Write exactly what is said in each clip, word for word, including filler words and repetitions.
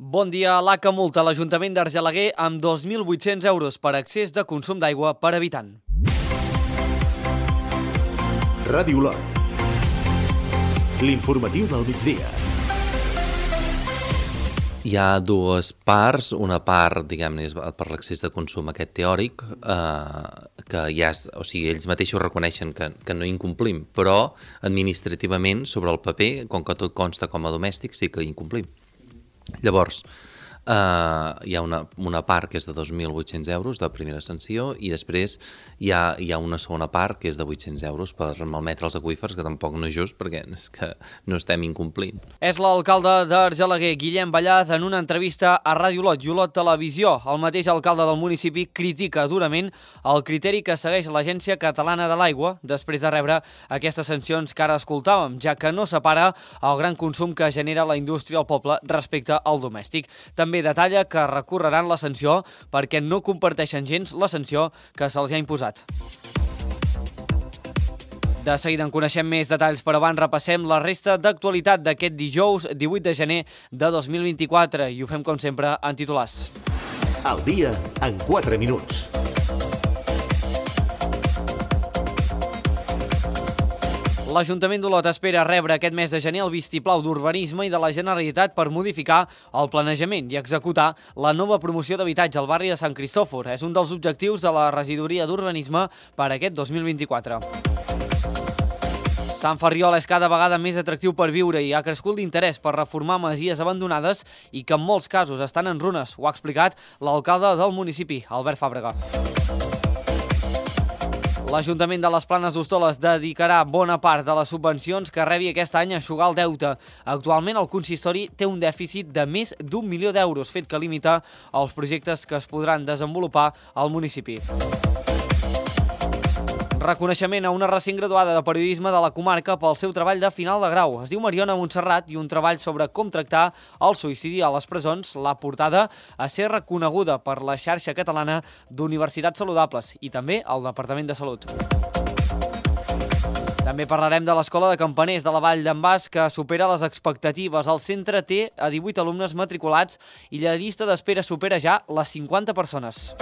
Bon dia. L'A C A multa l'Ajuntament d'Argelaguer amb dos mil vuit-cents euros per excés de consum d'aigua per habitant. Ràdio Olot. L'informatiu del migdia. Hi ha dues parts, una part, diguem-ne, per l'excés de consum aquest teòric, eh, que ja és, o sigui, ells mateixos reconeixen que, que no incomplim, però administrativament, sobre el paper, com que tot consta com a domèstic, sí que incomplim. Llavors, eh, hi ha una, una part que és de dos mil vuit-cents euros de primera sanció i després hi ha, hi ha una segona part que és de vuit-cents euros per malmetre els aqüífers, que tampoc no és just perquè és que no estem incomplint. És l'alcalde d'Argelaguer, Guillem Ballaz, en una entrevista a Ràdio Olot i Olot Televisió. El mateix alcalde del municipi critica durament el criteri que segueix l'Agència Catalana de l'Aigua després de rebre aquestes sancions que ara escoltàvem, ja que no separa el gran consum que genera la indústria al poble respecte al domèstic. També detalla que recorreran la sanció perquè no comparteixen gens la sanció que se'ls ha imposat. De seguida en coneixem més detalls, però abans repassem la resta d'actualitat d'aquest dijous divuit de gener de dos mil vint-i-quatre i ho fem com sempre en titulars. Al dia en quatre minuts. L'Ajuntament d'Olot espera rebre aquest mes de gener el vistiplau d'urbanisme i de la Generalitat per modificar el planejament i executar la nova promoció d'habitatge al barri de Sant Cristòfor. És un dels objectius de la regidoria d'urbanisme per aquest dos mil vint-i-quatre. Sant Ferriol és cada vegada més atractiu per viure i ha crescut l'interès per reformar masies abandonades i que en molts casos estan en runes. Ho ha explicat l'alcalde del municipi, Albert Fàbrega. L'Ajuntament de les Planes d'Hostoles dedicarà bona part de les subvencions que rebi aquest any a eixugar el deute. Actualment el consistori té un dèficit de més d'un milió d'euros, fet que limita els projectes que es podran desenvolupar al municipi. Reconeixement a una recent graduada de periodisme de la comarca pel seu treball de final de grau. Es diu Mariona Montserrat i un treball sobre com tractar el suïcidi a les presons l'ha portada a ser reconeguda per la xarxa catalana d'universitats saludables i també el Departament de Salut. També parlarem de l'Escola de Campaners de la Vall d'en Bas, que supera les expectatives. El centre té a divuit alumnes matriculats i la llista d'espera supera ja les cinquanta persones.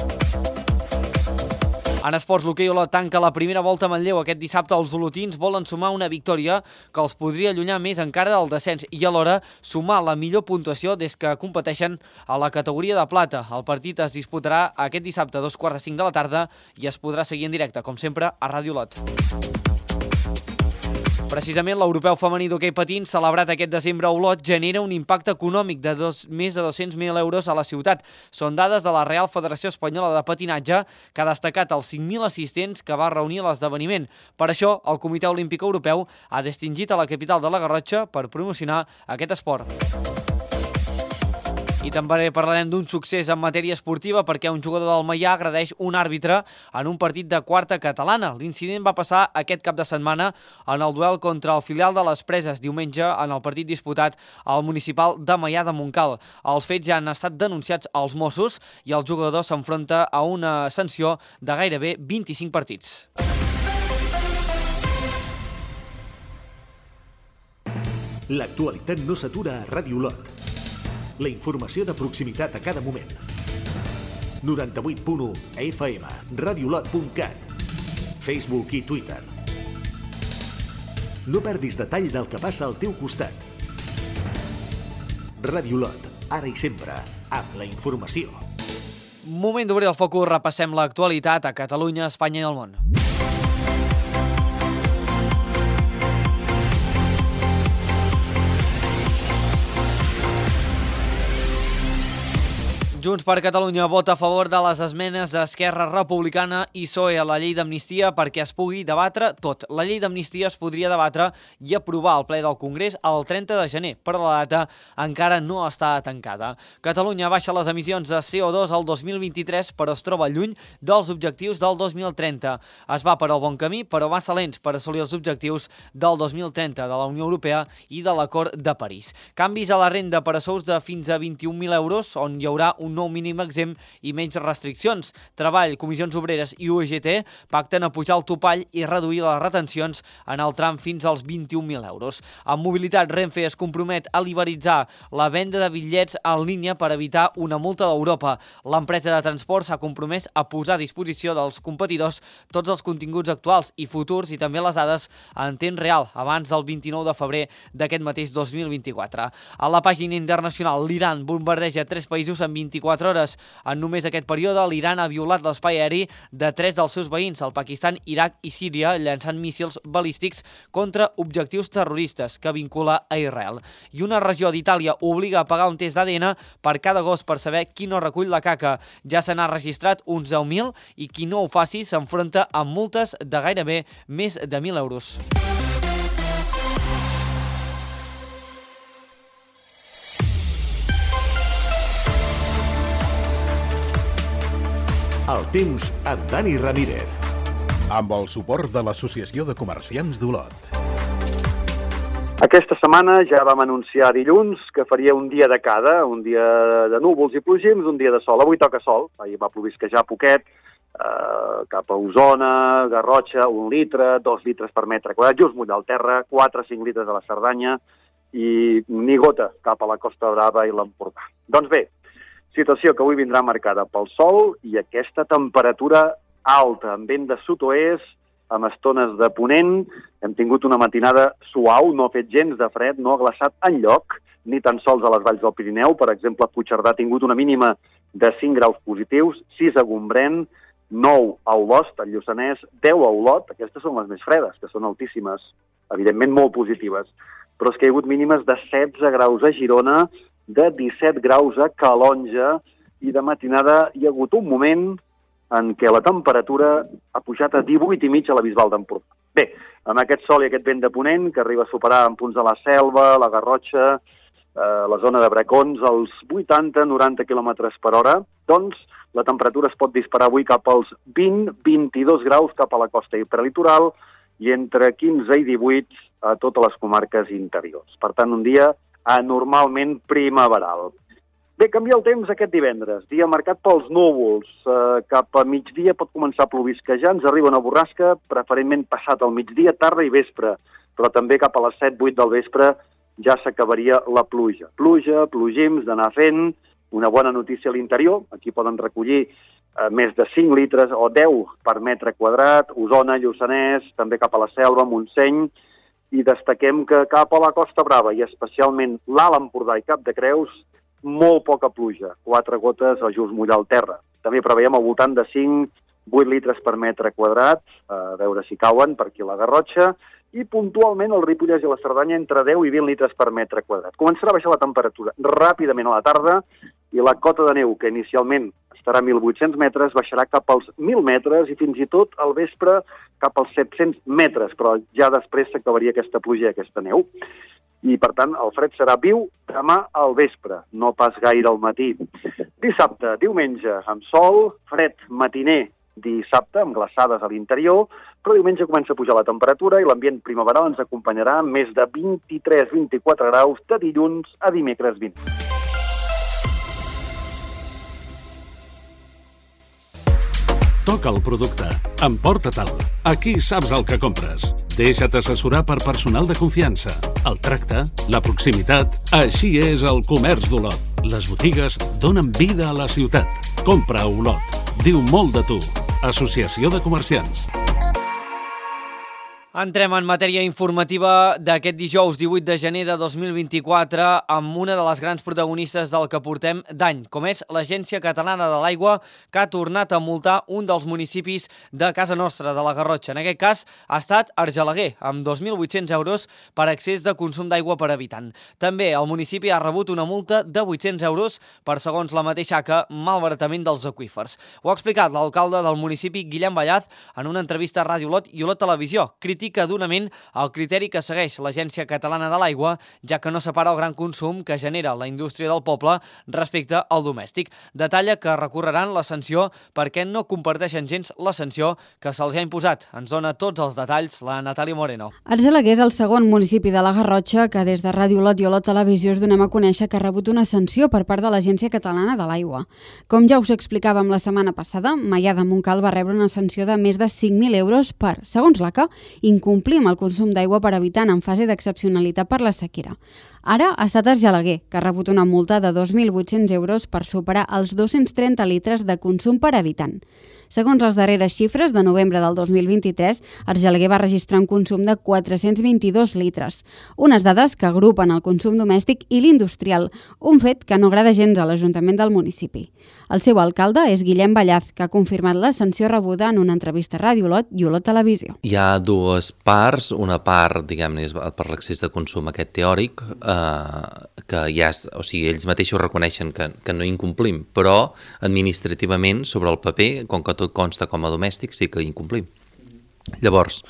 En esports, l'hoquei Olot tanca la primera volta a Manlleu. Aquest dissabte els olotins volen sumar una victòria que els podria allunyar més encara del descens i alhora sumar la millor puntuació des que competeixen a la categoria de plata. El partit es disputarà aquest dissabte a dos quarts de cinc de la tarda i es podrà seguir en directe, com sempre, a Ràdio Olot. Precisament l'europeu femení d'hoquei patins, celebrat aquest desembre a Olot, genera un impacte econòmic de dos, més de dos-cents mil euros a la ciutat. Són dades de la Real Federació Espanyola de Patinatge, que ha destacat els cinc mil assistents que va reunir a l'esdeveniment. Per això, el Comitè Olímpic Europeu ha distingit a la capital de la Garrotxa per promocionar aquest esport. I també parlarem d'un succés en matèria esportiva perquè un jugador del Maià agredeix un àrbitre en un partit de quarta catalana. L'incident va passar aquest cap de setmana en el duel contra el filial de les Preses, diumenge en el partit disputat al municipal de Maià de Montcal. Els fets ja han estat denunciats als Mossos i el jugador s'enfronta a una sanció de gairebé vint-i-cinc partits. L'actualitat no s'atura a Ràdio Olot. La informació de proximitat a cada moment. noranta-vuit punt u F M, radiolot punt cat, Facebook i Twitter. No perdis detall del que passa al teu costat. Ràdio Olot, ara i sempre, amb la informació. Moment d'obrir el focus, repassem l'actualitat a Catalunya, Espanya i el món. Junts per Catalunya vota a favor de les esmenes d'Esquerra Republicana i P S O E a la llei d'amnistia perquè es pugui debatre tot. La llei d'amnistia es podria debatre i aprovar al ple del Congrés el trenta de gener, però la data encara no està tancada. Catalunya baixa les emissions de C O dos al dos mil vint-i-tres, però es troba lluny dels objectius del dos mil trenta. Es va per al bon camí, però massa lents per assolir els objectius del dos mil trenta de la Unió Europea i de l'Acord de París. Canvis a la renda per a sous de fins a vint-i-un mil euros, on hi haurà un un nou mínim exempt i menys restriccions. Treball, Comissions Obreres i U G T pacten a pujar el topall i reduir les retencions en el tram fins als vint-i-un mil euros. En mobilitat, Renfe es compromet a liberalitzar la venda de bitllets en línia per evitar una multa d'Europa. L'empresa de transport s'ha compromès a posar a disposició dels competidors tots els continguts actuals i futurs i també les dades en temps real abans del vint-i-nou de febrer d'aquest mateix dos mil vint-i-quatre. A la pàgina internacional, l'Iran bombardeja tres països en vint-i-quatre hores. En només aquest període, l'Iran ha violat l'espai aeri de tres dels seus veïns, el Pakistan, Iraq i Síria, llançant míssils balístics contra objectius terroristes que vincula a Israel. I una regió d'Itàlia obliga a pagar un test d'A D N per cada gos per saber qui no recull la caca. Ja se n'ha registrat uns deu mil i qui no ho faci s'enfronta amb multes de gairebé més de mil euros. El temps amb Dani Ramírez. Amb el suport de l'Associació de Comerciants d'Olot. Aquesta setmana ja vam anunciar dilluns que faria un dia de cada, un dia de núvols i plogims, un dia de sol. Avui toca sol, ahir va plovisquejar poquet, eh, cap a Osona, Garrotxa, un litre, dos litres per metre quadrat, just munt del terra, quatre a cinc litres a la Cerdanya i ni gota cap a la Costa Brava i l'Empordà. Doncs bé, situació que avui vindrà marcada pel sol i aquesta temperatura alta, amb vent de sud-oest, amb estones de ponent. Hem tingut una matinada suau, no ha fet gens de fred, no ha glaçat enlloc, ni tan sols a les valls del Pirineu. Per exemple, Puigcerdà ha tingut una mínima de cinc graus positius, sis a Gombrèn, nou a Olost, al Lluçanès, deu a Olot. Aquestes són les més fredes, que són altíssimes, evidentment molt positives. Però és que hi ha hagut mínimes de setze graus a Girona, de disset graus a Calonja, i de matinada hi ha hagut un moment en què la temperatura ha pujat a divuit i mig a la Bisbal d'Empordà. Bé, amb aquest sol i aquest vent de ponent, que arriba a superar en punts de la Selva, la Garrotxa, eh, la zona de Bracons, els vuitanta a noranta quilòmetres per hora, doncs la temperatura es pot disparar avui cap als vint a vint-i-dos graus cap a la costa i prelitoral i entre quinze i divuit a totes les comarques interiors. Per tant, un dia anormalment primaveral. Bé, canvia el temps aquest divendres, dia marcat pels núvols. Eh, cap a migdia pot començar a plovisquejar, ens arriba una borrasca, preferentment passat al migdia, tarda i vespre, però també cap a les set vuit del vespre ja s'acabaria la pluja. Pluja, plogims, d'anar fent, una bona notícia a l'interior, aquí poden recollir eh, més de cinc litres o deu per metre quadrat, Osona, Lluçanès, també cap a la Selva, Montseny, i destaquem que cap a la Costa Brava i especialment l'Alt Empordà i Cap de Creus, molt poca pluja, quatre gotes a just mullar el terra. També preveiem al voltant de cinc a vuit litres per metre quadrat, a veure si cauen per aquí a la Garrotxa, i puntualment el Ripollès i la Cerdanya entre deu i vint litres per metre quadrat. Començarà a baixar la temperatura ràpidament a la tarda i la cota de neu, que inicialment estarà a mil vuit-cents metres, baixarà cap als mil metres i fins i tot al vespre cap als set-cents metres, però ja després s'acabaria aquesta pluja i aquesta neu. I, per tant, el fred serà viu demà al vespre, no pas gaire al matí. Dissabte, diumenge, amb sol, fred matiner dissabte, amb glaçades a l'interior, però diumenge comença a pujar la temperatura i l'ambient primaveral ens acompanyarà amb més de vint-i-tres a vint-i-quatre graus de dilluns a dimecres vint. Toca el producte. Emporta-te'l. Aquí saps el que compres. Deixa't assessorar per personal de confiança. El tracte, la proximitat... Així és el comerç d'Olot. Les botigues donen vida a la ciutat. Compra a Olot. Diu molt de tu. Associació de Comerciants. Entrem en matèria informativa d'aquest dijous divuit de gener de dos mil vint-i-quatre amb una de les grans protagonistes del que portem d'any, com és l'Agència Catalana de l'Aigua, que ha tornat a multar un dels municipis de casa nostra, de la Garrotxa. En aquest cas ha estat Argelaguer, amb dos mil vuit-cents euros per excés de consum d'aigua per habitant. També el municipi ha rebut una multa de vuit-cents euros per, segons la mateixa A C A, malbaratament dels aqüífers. Ho ha explicat l'alcalde del municipi, Guillem Ballaz, en una entrevista a Ràdio Olot i Olot Televisió. Critica critica durament el criteri que segueix l'Agència Catalana de l'Aigua, ja que no separa el gran consum que genera la indústria del poble respecte al domèstic. Detalla que recorreran la sanció perquè no comparteixen gens la sanció que se'ls ha imposat. Ens dona tots els detalls la Natàlia Moreno. Argelaguer és el segon municipi de la Garrotxa que des de Ràdio Olot i Olot Televisió us donem a conèixer que ha rebut una sanció per part de l'Agència Catalana de l'Aigua. Com ja us explicàvem la setmana passada, Maià de Montcal va rebre una sanció de més de cinc mil euros per, segons l'A C A, incomplir amb el consum d'aigua per habitant en fase d'excepcionalitat per la sequera. Ara ha estat Argelaguer, que ha rebut una multa de dos mil vuit-cents euros per superar els dos-cents trenta litres de consum per habitant. Segons les darreres xifres de novembre del dos mil vint-i-tres, Argelaguer va registrar un consum de quatre-cents vint-i-dos litres, unes dades que agrupen el consum domèstic i l'industrial, un fet que no agrada gens a l'Ajuntament del municipi. El seu alcalde és Guillem Ballaz, que ha confirmat la sanció rebuda en una entrevista a Ràdio Olot i Olot Televisió. Hi ha dues parts, una part, diguem-ne, per l'excés de consum aquest teòric, eh, que ja és, o sigui, ells mateixos reconeixen que, que no incomplim, però administrativament, sobre el paper, com que tot consta com a domèstic, sí que incomplim. Llavors,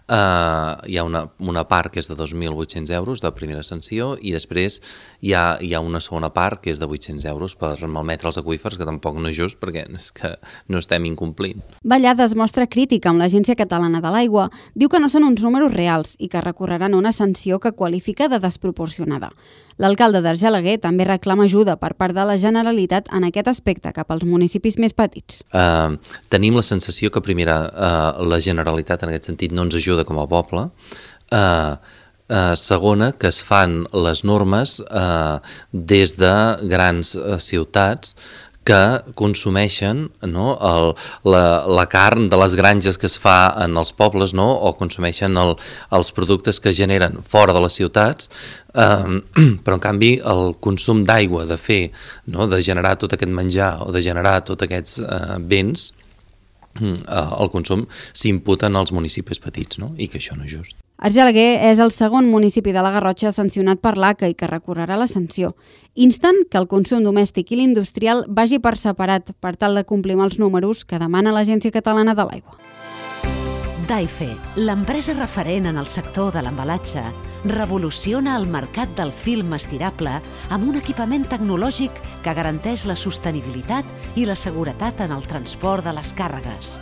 Uh, hi ha una, una part que és de dos mil vuit-cents euros de primera sanció i després hi ha, hi ha una segona part que és de vuit-cents euros per malmetre els aqüífers, que tampoc no és just perquè és que no estem incomplint. Ballada es mostra crítica amb l'Agència Catalana de l'Aigua. Diu que no són uns números reals i que recorreran una sanció que qualifica de desproporcionada. L'alcalde d'Argelaguer també reclama ajuda per part de la Generalitat en aquest aspecte cap als municipis més petits. Uh, tenim la sensació que, primera, uh, la Generalitat en aquest sentit no ens ajuda com a poble. Uh, uh, segona, que es fan les normes uh, des de grans uh, ciutats que consumeixen, no, el, la, la carn de les granges que es fa en els pobles, no, o consumeixen el, els productes que es generen fora de les ciutats, eh, però en canvi el consum d'aigua, de fer, no, de generar tot aquest menjar o de generar tots aquests eh, béns, eh, el consum s'imputa en els municipis petits, no, i que això no és just. Argelaguer és el segon municipi de la Garrotxa sancionat per l'A C A i que recorrerà la sanció. Insten que el consum domèstic i l'industrial vagi per separat per tal de complir amb els números que demana l'Agència Catalana de l'Aigua. Daife, l'empresa referent en el sector de l'embalatge, revoluciona el mercat del film estirable amb un equipament tecnològic que garanteix la sostenibilitat i la seguretat en el transport de les càrregues.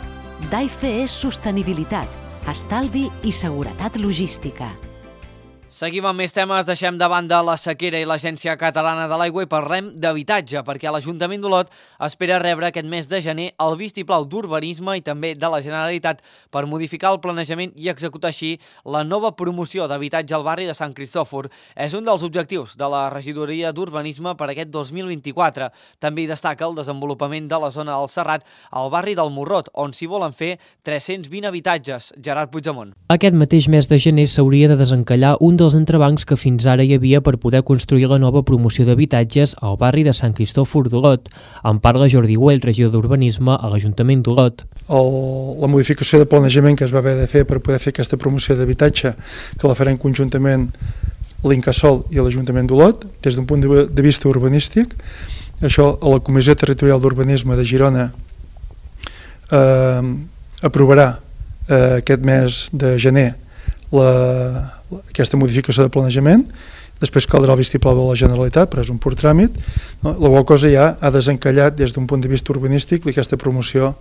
Daife és sostenibilitat, estalvi i seguretat logística. Seguim amb més temes, deixem de banda la sequera i l'Agència Catalana de l'Aigua i parlem d'habitatge, perquè l'Ajuntament d'Olot espera rebre aquest mes de gener el vistiplau d'urbanisme i també de la Generalitat per modificar el planejament i executar així la nova promoció d'habitatge al barri de Sant Cristòfor. És un dels objectius de la Regidoria d'Urbanisme per aquest dos mil vint-i-quatre. També hi destaca el desenvolupament de la zona del Serrat al barri del Morrot, on s'hi volen fer tres-cents vint habitatges. Gerard Puigdemont. Aquest mateix mes de gener s'hauria de desencallar un dels entrebancs que fins ara hi havia per poder construir la nova promoció d'habitatges al barri de Sant Cristòfor d'Olot. En parla Jordi Güell, regidor d'Urbanisme a l'Ajuntament d'Olot. El, la modificació de planejament que es va haver de fer per poder fer aquesta promoció d'habitatge, que la farem conjuntament l'Incasòl i l'Ajuntament d'Olot, des d'un punt de vista urbanístic. Això a la Comissió Territorial d'Urbanisme de Girona eh, aprovarà eh, aquest mes de gener la, aquesta modificació de planejament. Després caldrà el vistiplau de la Generalitat, però és un pur tràmit. No? La qual cosa ja ha desencallat des d'un punt de vista urbanístic aquesta promoció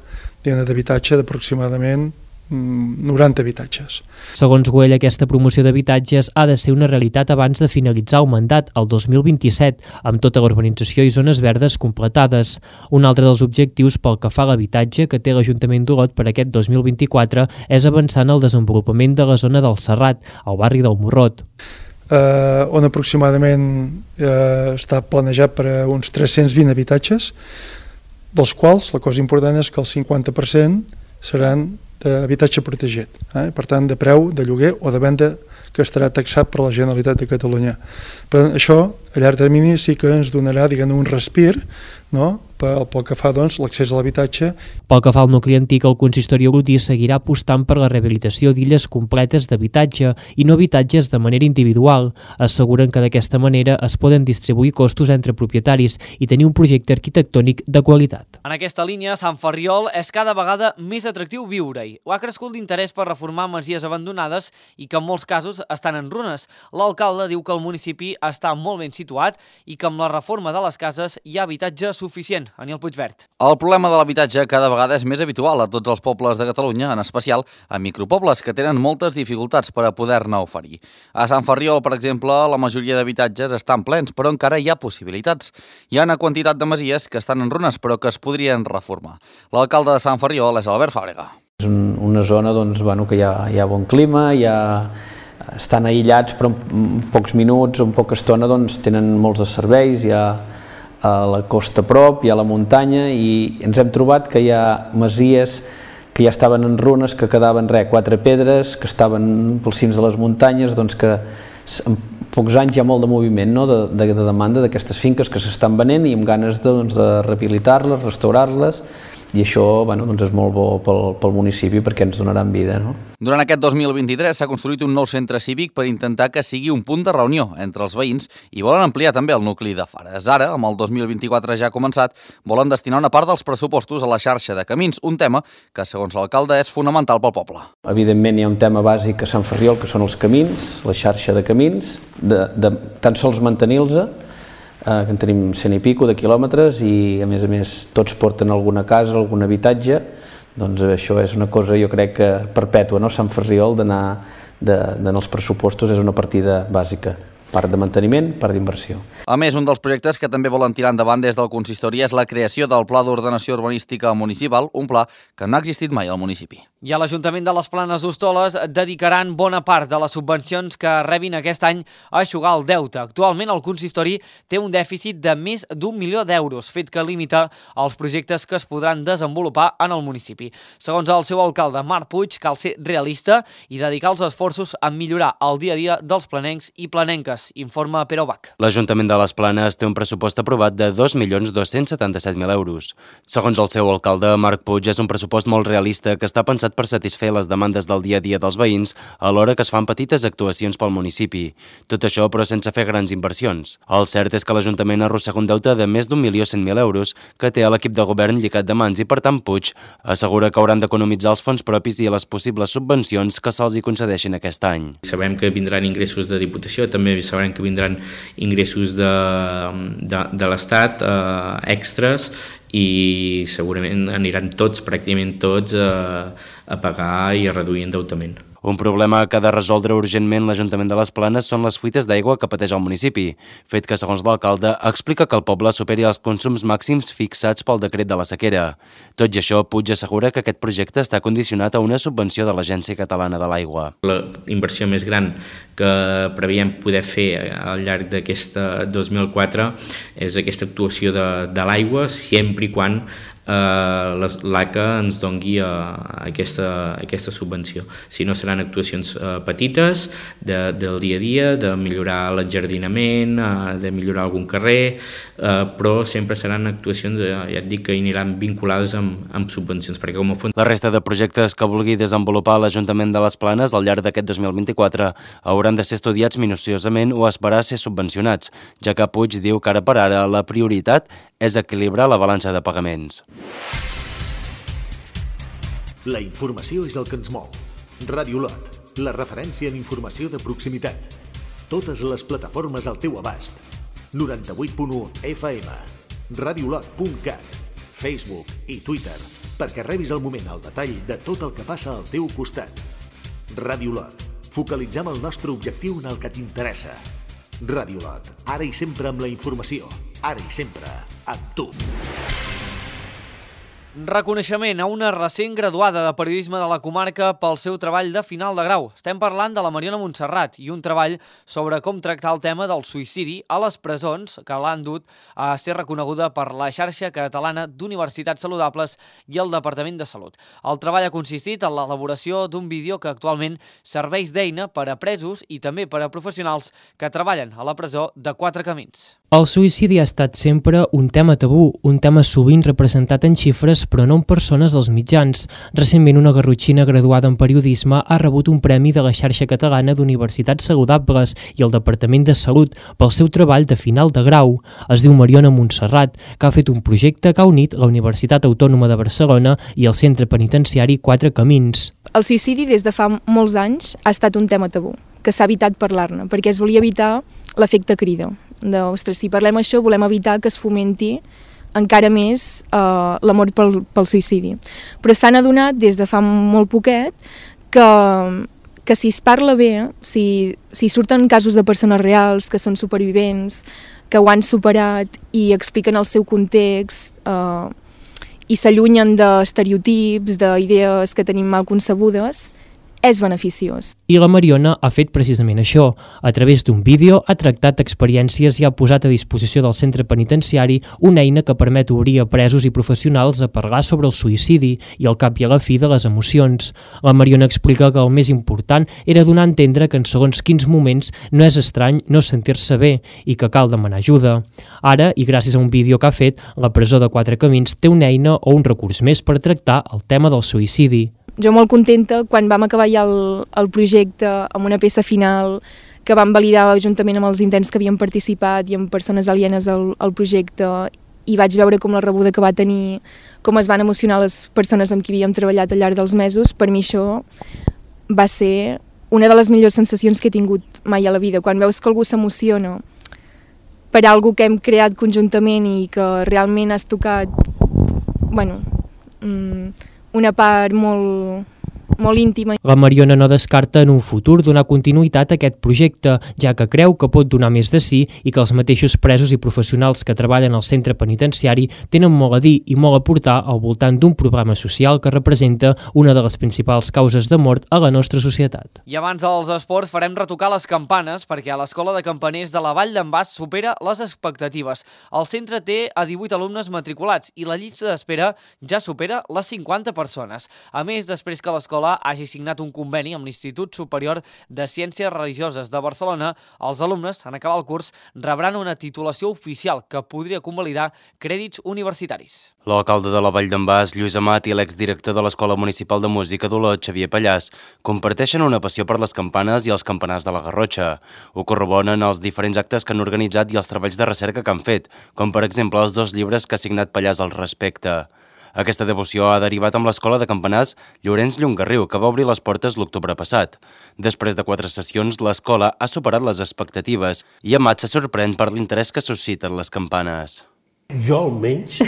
d'habitatge d'aproximadament noranta habitatges. Segons Güell, aquesta promoció d'habitatges ha de ser una realitat abans de finalitzar el mandat, el dos mil vint-i-set, amb tota la urbanització i zones verdes completades. Un altre dels objectius pel que fa a l'habitatge que té l'Ajuntament d'Olot per aquest dos mil vint-i-quatre és avançar en el desenvolupament de la zona del Serrat, al barri del Morrot. Eh, on aproximadament eh, està planejat per a uns tres-cents vint habitatges, dels quals la cosa important és que el cinquanta per cent seran d'habitatge protegit, eh? Per tant de preu de lloguer o de venda que estarà taxat per la Generalitat de Catalunya. Per tant, això a llarg termini sí que ens donarà, diguem, un respir, no?, pel, pel que fa, doncs, l'accés a l'habitatge. Pel que fa al nucli antic, el consistori olotí seguirà apostant per la rehabilitació d'illes completes d'habitatge i no habitatges de manera individual. Asseguren que d'aquesta manera es poden distribuir costos entre propietaris i tenir un projecte arquitectònic de qualitat. En aquesta línia, Sant Ferriol és cada vegada més atractiu viure-hi. Ho ha crescut l'interès per reformar masies abandonades i que en molts casos estan en runes. L'alcalde diu que el municipi està molt ben situat i que amb la reforma de les cases hi ha habitatge suficient. Aniel Puigvert. El problema de l'habitatge cada vegada és més habitual a tots els pobles de Catalunya, en especial a micropobles que tenen moltes dificultats per a poder-ne oferir. A Sant Ferriol, per exemple, la majoria d'habitatges estan plens, però encara hi ha possibilitats. Hi ha una quantitat de masies que estan en runes, però que es podrien reformar. L'alcalde de Sant Ferriol és Albert Fàbrega. És una zona doncs, bueno, que hi ha, hi ha bon clima, hi ha... estan aïllats, però en pocs minuts o en poca estona doncs, tenen molts de serveis, hi ha a la costa a prop, hi ha la muntanya i ens hem trobat que hi ha masies que ja estaven en runes, que quedaven res, quatre pedres, que estaven pels cims de les muntanyes, doncs que en pocs anys hi ha molt de moviment, no?, de, de, de demanda d'aquestes finques que s'estan venent i amb ganes de, doncs, de rehabilitar-les, restaurar-les, i això, bueno, doncs és molt bo pel, pel municipi perquè ens donaran vida, no? Durant aquest dos mil vint-i-tres s'ha construït un nou centre cívic per intentar que sigui un punt de reunió entre els veïns i volen ampliar també el nucli de Fares. Ara, amb el dos mil vint-i-quatre ja ha començat, volen destinar una part dels pressupostos a la xarxa de camins, un tema que, segons l'alcalde, és fonamental pel poble. Evidentment hi ha un tema bàsic a Sant Ferriol, que són els camins, la xarxa de camins, de, de tan sols mantenir-los, eh, que en tenim cent i pico de quilòmetres i, a més a més, tots porten alguna casa, algun habitatge. Doncs això és una cosa, jo crec, que perpètua, no? Sant Ferriol, d'anar de, de, en els pressupostos és una partida bàsica. Part de manteniment, part d'inversió. A més, un dels projectes que també volen tirar endavant des del consistori és la creació del Pla d'Ordenació Urbanística Municipal, un pla que no ha existit mai al municipi. I a l'Ajuntament de les Planes d'Hostoles dedicaran bona part de les subvencions que rebin aquest any a eixugar el deute. Actualment el consistori té un dèficit de més d'un milió d'euros, fet que limita els projectes que es podran desenvolupar en el municipi. Segons el seu alcalde, Marc Puig, cal ser realista i dedicar els esforços a millorar el dia a dia dels planencs i planenques, informa Pere Bach. L'Ajuntament de les Planes té un pressupost aprovat de dos milions dos-cents setanta-set mil euros. Segons el seu alcalde, Marc Puig, és un pressupost molt realista que està pensat per satisfer les demandes del dia a dia dels veïns alhora que es fan petites actuacions pel municipi. Tot això, però, sense fer grans inversions. El cert és que l'Ajuntament arrossega un deute de més d'un milió cent mil euros que té l'equip de govern lligat de mans i, per tant, Puig assegura que hauran d'economitzar els fons propis i les possibles subvencions que se'ls hi concedeixin aquest any. Sabem que vindran ingressos de Diputació, també sabem que vindran ingressos de, de, de l'Estat, eh, extras, i segurament aniran tots, pràcticament tots, a, a pagar i a reduir endeutament. Un problema que ha de resoldre urgentment l'Ajuntament de les Planes són les fuites d'aigua que pateix el municipi, fet que, segons l'alcalde, explica que el poble superi els consums màxims fixats pel decret de la sequera. Tot i això, Puig assegura que aquest projecte està condicionat a una subvenció de l'Agència Catalana de l'Aigua. La inversió més gran que preveiem poder fer al llarg d'aquesta dos mil quatre és aquesta actuació de, de l'aigua, sempre i quan Uh, l'A C A ens dongui uh, aquesta, aquesta subvenció. Si no, seran actuacions uh, petites de, del dia a dia, de millorar l'enjardinament, uh, de millorar algun carrer, uh, però sempre seran actuacions, uh, ja et dic, que aniran vinculades amb, amb subvencions, perquè com a fons... La resta de projectes que vulgui desenvolupar l'Ajuntament de les Planes al llarg d'aquest dos mil vint-i-quatre hauran de ser estudiats minuciosament o esperar a ser subvencionats, ja que Puig diu que ara per ara la prioritat és equilibrar la balança de pagaments. La informació és el que ens mou. Ràdio Lot, la referència en informació de proximitat. Totes les plataformes al teu abast. noranta-vuit punt u F M, radiolot punt cat, Facebook i Twitter, perquè rebis al moment el detall de tot el que passa al teu costat. Ràdio Lot, focalitzem el nostre objectiu en el que t'interessa. Ràdio Lot, ara i sempre amb la informació, ara i sempre amb tu. Reconeixement a una recent graduada de periodisme de la comarca pel seu treball de final de grau. Estem parlant de la Mariona Montserrat i un treball sobre com tractar el tema del suïcidi a les presons que l'han dut a ser reconeguda per la xarxa catalana d'universitats saludables i el Departament de Salut. El treball ha consistit en l'elaboració d'un vídeo que actualment serveix d'eina per a presos i també per a professionals que treballen a la presó de Quatre Camins. El suïcidi ha estat sempre un tema tabú, un tema sovint representat en xifres però no en persones dels mitjans. Recentment una garrotxina graduada en periodisme ha rebut un premi de la xarxa catalana d'universitats saludables i el Departament de Salut pel seu treball de final de grau. Es diu Mariona Montserrat, que ha fet un projecte que ha unit la Universitat Autònoma de Barcelona i el Centre Penitenciari Quatre Camins. El suïcidi des de fa molts anys ha estat un tema tabú, que s'ha evitat parlar-ne, perquè es volia evitar l'efecte crida. De, ostres, si parlem això volem evitar que es fomenti encara més eh, l'amor pel, pel suïcidi. Però s'han adonat des de fa molt poquet que, que si es parla bé, si, si surten casos de persones reals que són supervivents, que ho han superat i expliquen el seu context eh, i s'allunyen d'estereotips, d'idees que tenim mal concebudes, és beneficiós. I la Mariona ha fet precisament això. A través d'un vídeo ha tractat experiències i ha posat a disposició del centre penitenciari una eina que permet obrir a presos i professionals a parlar sobre el suïcidi i al cap i a la fi de les emocions. La Mariona explica que el més important era donar a entendre que en segons quins moments no és estrany no sentir-se bé i que cal demanar ajuda. Ara, i gràcies a un vídeo que ha fet, la presó de Quatre Camins té una eina o un recurs més per tractar el tema del suïcidi. Jo molt contenta quan vam acabar ja el, el projecte amb una peça final que vam validar juntament amb els interns que havien participat i amb persones alienes al, al projecte, i vaig veure com la rebuda que va tenir, com es van emocionar les persones amb qui havíem treballat al llarg dels mesos. Per mi això va ser una de les millors sensacions que he tingut mai a la vida, quan veus que algú s'emociona per algo que hem creat conjuntament i que realment has tocat, bueno, mmm, una part molt, molt íntima. La Mariona no descarta en un futur donar continuïtat a aquest projecte, ja que creu que pot donar més de sí i que els mateixos presos i professionals que treballen al centre penitenciari tenen molt a dir i molt a portar al voltant d'un problema social que representa una de les principals causes de mort a la nostra societat. I abans dels esports farem retocar les campanes perquè a l'Escola de Campaners de la Vall d'en Bas supera les expectatives. El centre té a divuit alumnes matriculats i la llista d'espera ja supera les cinquanta persones. A més, després que l'escola hagi signat un conveni amb l'Institut Superior de Ciències Religioses de Barcelona, els alumnes, en acabar el curs, rebran una titulació oficial que podria convalidar crèdits universitaris. L'alcalde de la Vall d'en Bas, Lluís Amat, i l'exdirector de l'Escola Municipal de Música d'Olot, Xavier Pallàs, comparteixen una passió per les campanes i els campanars de la Garrotxa. Ho corroboren els diferents actes que han organitzat i els treballs de recerca que han fet, com per exemple els dos llibres que ha signat Pallàs al respecte. Aquesta devoció ha derivat amb l'Escola de Campanars Llorenç Llongarriu, que va obrir les portes l'octubre passat. Després de quatre sessions, l'escola ha superat les expectatives i Amat se sorprèn per l'interès que susciten les campanes. Jo almenys,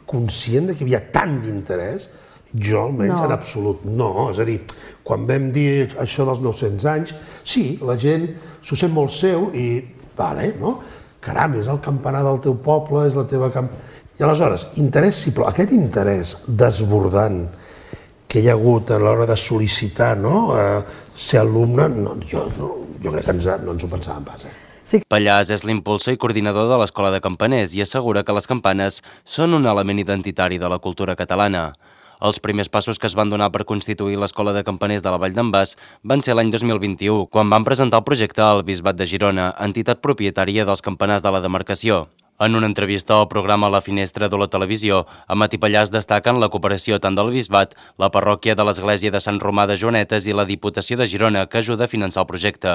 conscient de que hi havia tant d'interès, jo almenys no. En absolut no. És a dir, quan vam dir això dels nou-cents anys, sí, la gent s'ho sent molt seu i, vale, no? Caram, és el campanar del teu poble, és la teva camp... I aleshores, interès sí, però aquest interès desbordant que hi ha hagut a l'hora de sol·licitar, no, eh, ser alumne, no, jo, no, jo crec que ens, no ens ho pensàvem pas. Eh? Sí. Pallàs és l'impulsor i coordinador de l'Escola de Campaners i assegura que les campanes són un element identitari de la cultura catalana. Els primers passos que es van donar per constituir l'Escola de Campaners de la Vall d'en Bas van ser l'any dos mil vint-i-u, quan van presentar el projecte al Bisbat de Girona, entitat propietària dels campanars de la demarcació. En una entrevista al programa La Finestra de la Televisió, Amat i Pallàs destaquen la cooperació tant del Bisbat, la parròquia de l'Església de Sant Romà de Joanetes i la Diputació de Girona, que ajuda a finançar el projecte.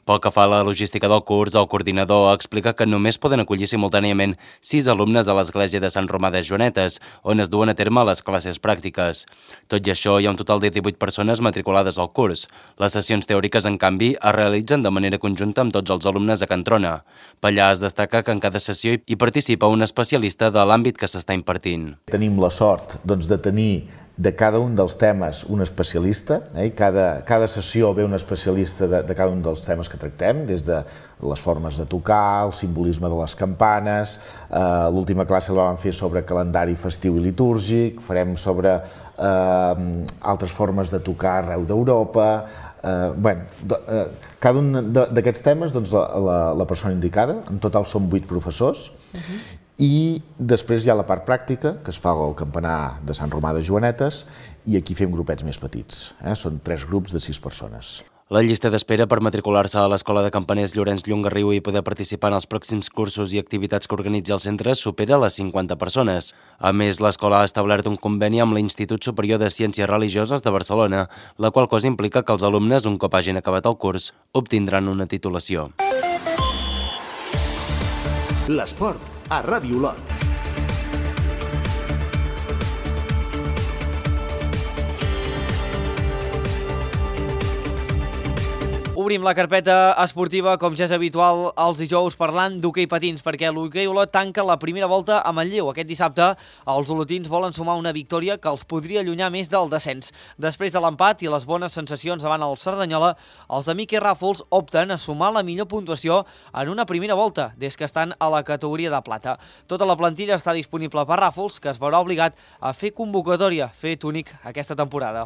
Pel que fa a la logística del curs, el coordinador explica que només poden acollir simultàniament sis alumnes a l'Església de Sant Romà de Joanetes, on es duen a terme les classes pràctiques. Tot i això, hi ha un total de divuit persones matriculades al curs. Les sessions teòriques, en canvi, es realitzen de manera conjunta amb tots els alumnes a Can Trona. Pallàs destaca que en cada sessió hi participa un especialista de l'àmbit que s'està impartint. Tenim la sort doncs, de tenir de cada un dels temes un especialista, eh? cada, cada sessió ve un especialista de, de cada un dels temes que tractem, des de les formes de tocar, el simbolisme de les campanes, eh, l'última classe la vam fer sobre calendari festiu i litúrgic, farem sobre eh, altres formes de tocar arreu d'Europa, eh, bueno, do, eh, cada un d'aquests temes, doncs, la, la, la persona indicada, en total són vuit professors, uh-huh. I després hi ha la part pràctica, que es fa al campanar de Sant Romà de Joanetes, i aquí fem grupets més petits. Eh? Són tres grups de sis persones. La llista d'espera per matricular-se a l'Escola de Campaners Llorenç Llongarriu i poder participar en els pròxims cursos i activitats que organitza el centre supera les cinquanta persones. A més, l'escola ha establert un conveni amb l'Institut Superior de Ciències Religioses de Barcelona, la qual cosa implica que els alumnes, un cop hagin acabat el curs, obtindran una titulació. L'esport a Ràdio Olot. Obrim la carpeta esportiva, com ja és habitual, els dijous parlant d'hoquei patins, perquè l'hoquei Olot tanca la primera volta a Manlleu. Aquest dissabte, els olotins volen sumar una victòria que els podria allunyar més del descens. Després de l'empat i les bones sensacions davant el Cerdanyola, els de Miqui Ràfols opten a sumar la millor puntuació en una primera volta, des que estan a la categoria de plata. Tota la plantilla està disponible per Ràfols, que es veurà obligat a fer convocatòria, fet únic aquesta temporada.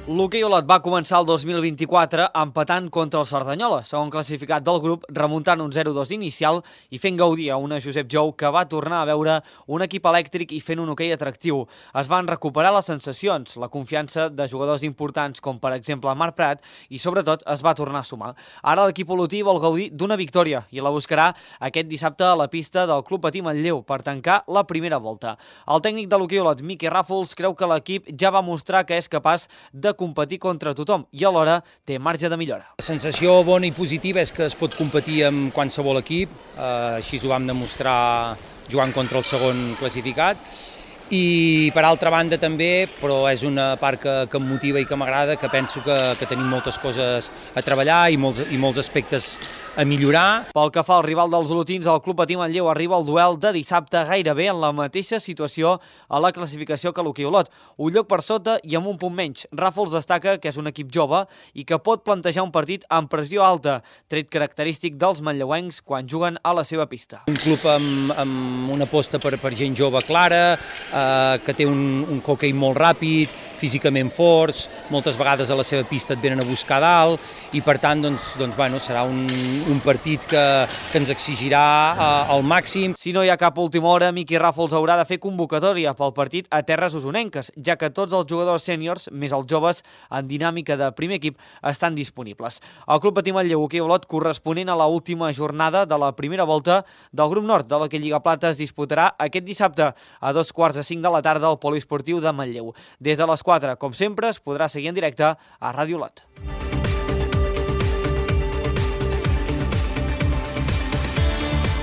L'hoquei Olot va començar el dos mil vint-i-quatre empatant contra el Cerdanyola, segon classificat del grup, remuntant un zero dos inicial i fent gaudir a una Josep Jou que va tornar a veure un equip elèctric i fent un hoquei atractiu. Es van recuperar les sensacions, la confiança de jugadors importants com per exemple Marc Prat i sobretot es va tornar a sumar. Ara l'equip olotí vol gaudir d'una victòria i la buscarà aquest dissabte a la pista del Club Patí Manlleu per tancar la primera volta. El tècnic de l'hoquei Olot, Miqui Ràfols, creu que l'equip ja va mostrar que és capaç de competir contra tothom i alhora té marge de millora. La sensació bona i positiva és que es pot competir amb qualsevol equip, eh, així ho vam demostrar jugant contra el segon classificat, i per altra banda també, però és una part que, que em motiva i que m'agrada, que penso que, que tenim moltes coses a treballar i molts, i molts aspectes a millorar. Pel que fa al rival dels olotins, el Club Patí Manlleu arriba al duel de dissabte gairebé en la mateixa situació a la classificació que l'hoquei Olot, un lloc per sota i amb un punt menys. Ràfols destaca que és un equip jove i que pot plantejar un partit amb pressió alta, tret característic dels manlleuencs quan juguen a la seva pista. Un club amb, amb una aposta per, per gent jove clara, eh, que té un, un hoquei molt ràpid, físicament forts, moltes vegades a la seva pista et venen a buscar dalt i per tant doncs, doncs, bueno, serà un, un partit que, que ens exigirà uh, al màxim. Si no hi ha cap última hora, Miqui Ràfols haurà de fer convocatòria pel partit a terres usonenques, ja que tots els jugadors sèniors, més els joves, en dinàmica de primer equip, estan disponibles. El Club Patí Manlleu hoquei Olot, corresponent a l'última jornada de la primera volta del grup nord de l'hoquei Lliga Plata, es disputarà aquest dissabte a dos quarts de cinc de la tarda al Poliesportiu de Manlleu. Des de les quatre, com sempre, es podrà seguir en directe a Ràdio Olot.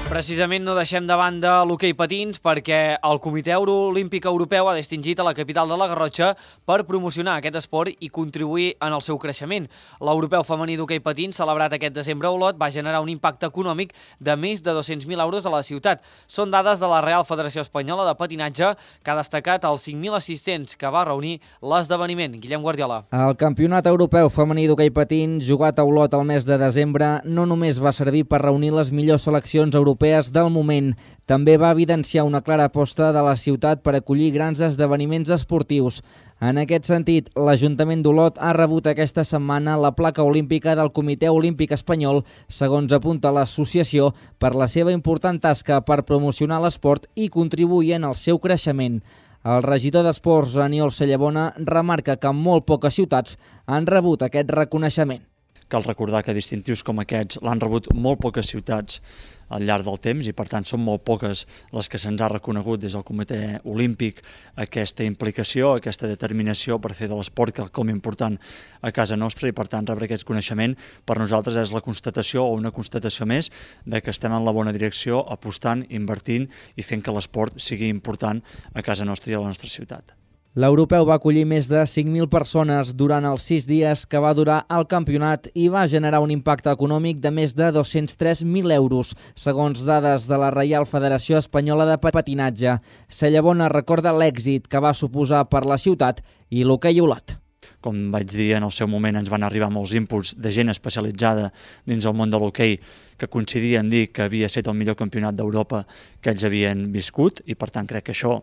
Precisament no deixem de banda l'hoquei patins perquè el Comitè Olímpic Europeu ha distingit a la capital de la Garrotxa per promocionar aquest esport i contribuir en el seu creixement. L'Europeu Femení d'Hoquei Patins, celebrat aquest desembre a Olot, va generar un impacte econòmic de més de dos-cents mil euros a la ciutat. Són dades de la Real Federació Espanyola de Patinatge, que ha destacat els cinc mil assistents que va reunir l'esdeveniment. Guillem Guardiola. El Campionat Europeu Femení d'Hoquei Patins, jugat a Olot el mes de desembre, no només va servir per reunir les millors seleccions europees del moment, també va evidenciar una clara aposta de la ciutat per acollir grans esdeveniments esportius. En aquest sentit, l'Ajuntament d'Olot ha rebut aquesta setmana la placa olímpica del Comitè Olímpic Espanyol, segons apunta l'associació, per la seva important tasca per promocionar l'esport i contribuir en el seu creixement. El regidor d'Esports, Aniol Cellabona, remarca que molt poques ciutats han rebut aquest reconeixement. Cal recordar que distintius com aquests l'han rebut molt poques ciutats al llarg del temps i per tant són molt poques les que se'ns ha reconegut des del Comitè Olímpic aquesta implicació, aquesta determinació per fer de l'esport quelcom important a casa nostra i per tant rebre aquest coneixement per nosaltres és la constatació o una constatació més de que estem en la bona direcció apostant, invertint i fent que l'esport sigui important a casa nostra i a la nostra ciutat. L'europeu va acollir més de cinc mil persones durant els sis dies que va durar el campionat i va generar un impacte econòmic de més de dos-cents tres mil euros, segons dades de la Reial Federació Espanyola de Patinatge. Cellabona recorda l'èxit que va suposar per la ciutat i l'hoquei Olot. Com vaig dir en el seu moment, ens van arribar molts inputs de gent especialitzada dins el món de l'hoquei que coincidien dir que havia estat el millor campionat d'Europa que ells havien viscut i per tant crec que això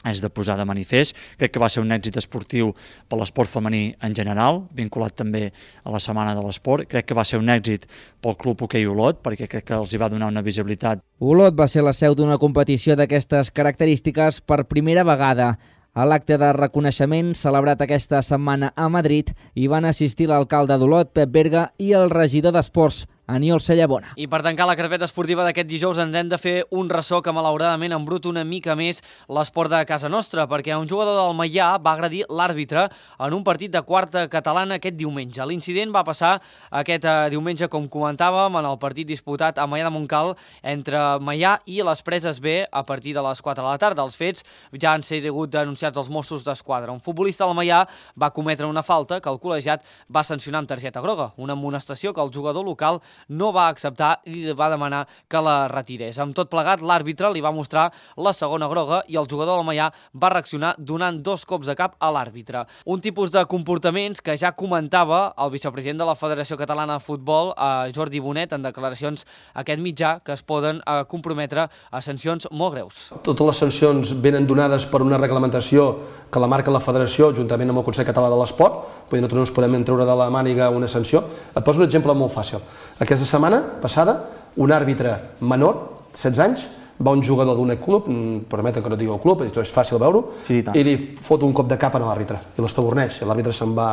és de posar de manifest. Crec que va ser un èxit esportiu per l'esport femení en general, vinculat també a la Setmana de l'Esport. Crec que va ser un èxit pel Club Hoquei Olot, perquè crec que els hi va donar una visibilitat. Olot va ser la seu d'una competició d'aquestes característiques per primera vegada. A l'acte de reconeixement celebrat aquesta setmana a Madrid hi van assistir l'alcalde d'Olot, Pep Berga, i el regidor d'Esports, Aniol Cellabona. I per tancar la carpeta esportiva d'aquest dijous ens hem de fer un ressò que malauradament embruta una mica més l'esport de casa nostra, perquè un jugador del Maià va agredir l'àrbitre en un partit de quarta catalana aquest diumenge. L'incident va passar aquest diumenge, com comentàvem, en el partit disputat a Maià de Montcal entre Maià i les Preses B a partir de les quatre de la tarda. Els fets ja han sigut denunciats als Mossos d'Esquadra. Un futbolista del Maià va cometre una falta que el col·legiat va sancionar amb targeta groga, una amonestació que el jugador local no va acceptar i va demanar que la retirés. Amb tot plegat, l'àrbitre li va mostrar la segona groga i el jugador del Maià va reaccionar donant dos cops de cap a l'àrbitre. Un tipus de comportaments que ja comentava el vicepresident de la Federació Catalana de Futbol, Jordi Bonet, en declaracions a aquest mitjà, que es poden comprometre a sancions molt greus. Totes les sancions venen donades per una reglamentació que la marca la Federació, juntament amb el Consell Català de l'Esport, perquè nosaltres no ens podem treure de la màniga una sanció. Et poso un exemple molt fàcil. Aquesta setmana passada, un àrbitre menor, setze anys, va un jugador d'un club, permeten que no digui el club, és fàcil veure-ho, sí, i li fot un cop de cap a l'àrbitre, i l'estaborneix. L'àrbitre se'n va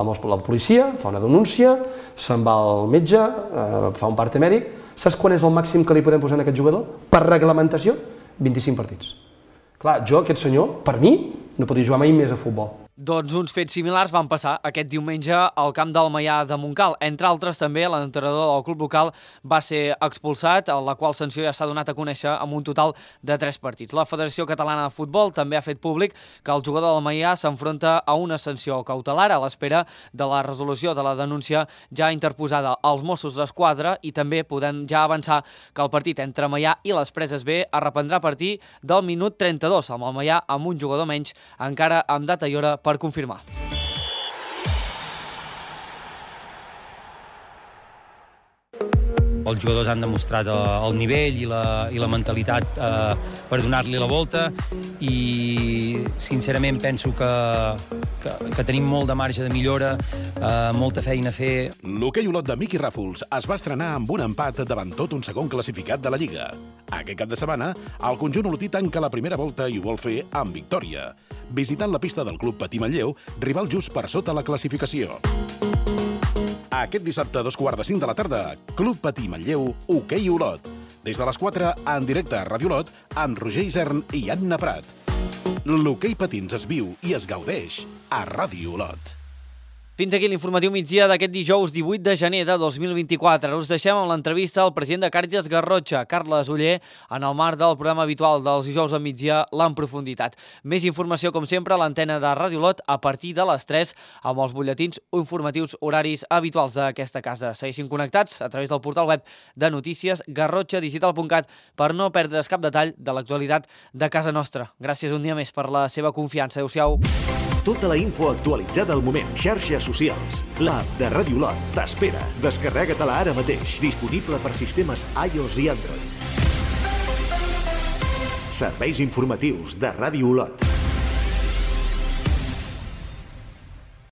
amb la policia, fa una denúncia, se'n va al metge, eh, fa un parte mèdic. Saps quan és el màxim que li podem posar a aquest jugador? Per reglamentació, vint-i-cinc partits. Clar, jo, aquest senyor, per mi, no podria jugar mai més a futbol. Doncs uns fets similars van passar aquest diumenge al camp del Maià de Montcal. Entre altres, també, l'entrenador del club local va ser expulsat, la qual sanció ja s'ha donat a conèixer amb un total de tres partits. La Federació Catalana de Futbol també ha fet públic que el jugador del Maià s'enfronta a una sanció cautelar a l'espera de la resolució de la denúncia ja interposada als Mossos d'Esquadra, i també podem ja avançar que el partit entre Maià i les Preses B es reprendrà a partir del minut trenta-dos, amb el Maià amb un jugador menys, encara amb data i hora per confirmar. Els jugadors han demostrat el nivell i la, i la mentalitat eh, per donar-li la volta, i sincerament penso que, que, que tenim molt de marge de millora, eh, molta feina a fer. L'hoquei Olot de Miqui Ràfols es va estrenar amb un empat davant tot un segon classificat de la Lliga. Aquest cap de setmana, el conjunt olotí tanca la primera volta i ho vol fer amb victòria, visitant la pista del Club Patí Manlleu, rival just per sota la classificació. Aquest dissabte a dos quarts de cinc de la tarda, Club Patí Manlleu, Hoquei Olot. Des de les quatre, en directe a Ràdio Olot, amb Roger Isern i Anna Prat. L'hoquei patins es viu i es gaudeix a Ràdio Olot. Fins aquí l'informatiu migdia d'aquest dijous divuit de gener de dos mil vint-i-quatre. Us deixem amb l'entrevista al president de Càritas Garrotxa, Carles Oller, en el marc del programa habitual dels dijous al migdia, l'En Profunditat. Més informació, com sempre, a l'antena de Ràdio Olot a partir de les tres, amb els butlletins informatius horaris habituals d'aquesta casa. Segueixin connectats a través del portal web de notícies garrotxa digital punt cat per no perdre's cap detall de l'actualitat de casa nostra. Gràcies un dia més per la seva confiança. Adéu-siau. Tota la info actualitzada al moment. Xarxes socials. L'app de Ràdio Olot t'espera. Descarrega-te-la ara mateix. Disponible per sistemes iOS i Android. Serveis informatius de Ràdio Olot.